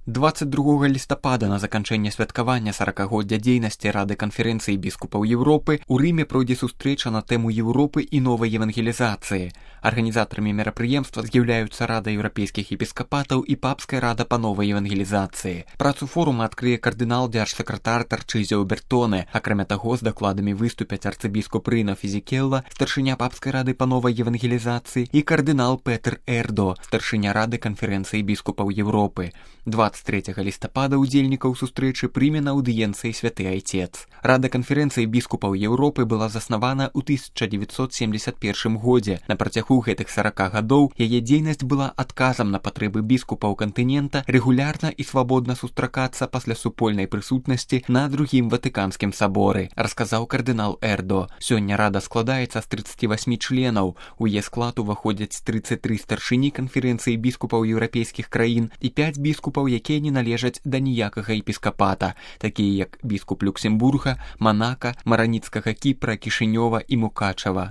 22 лістапада на заканчэнне святкавання 40-годдзя дзейнасці Рады канферэнцыі біскупаў Еўропы ў Рыме пройдзе сустрэча на тэму Еўропы і новай евангелізацыі. Арганізатарамі мерапрыемства з'яўляюцца Рада еўрапейскіх епіскапатаў і Папская рада па новай евангелізацыі. Працу форума адкрые кардынал дзяржсакратар Тарчызіо Бертоне. Акрамя таго, з дакладамі выступяць арцыбіскуп Рыно Фізікелла, старшыня Папскай рады па новай евангелізацыі, і кардынал Петр Эрдо, старшыня Рады канферэнцыі біскупаў Еўропы. 23 лістапада удзельнікаў сустрэчы прыме на аўдыенцыі святы айцец. Рада канферэнцыі біскупаў Еўропы была заснавана ў 1971 годзе. На працягу гэтых 40 гадоў яе дзейнасць была адказам на патрэбы біскупаў кантынента рэгулярна і свабодна сустракацца пасля супольнай прысутнасці на другім Ватыканскім саборы, расказаў кардынал Эрдо. Сёння рада складаецца з 38 членаў. У яе склад уваходзяць 33 старшыні канферэнцыі біскупаў еўрапейскіх краін і 5 біскупаў, якія не належаць да ніякага епіскапата, такія як біскуп Люксембурга, Манака, Мараніцкага Кіпра, Кішынёва і Мукачава.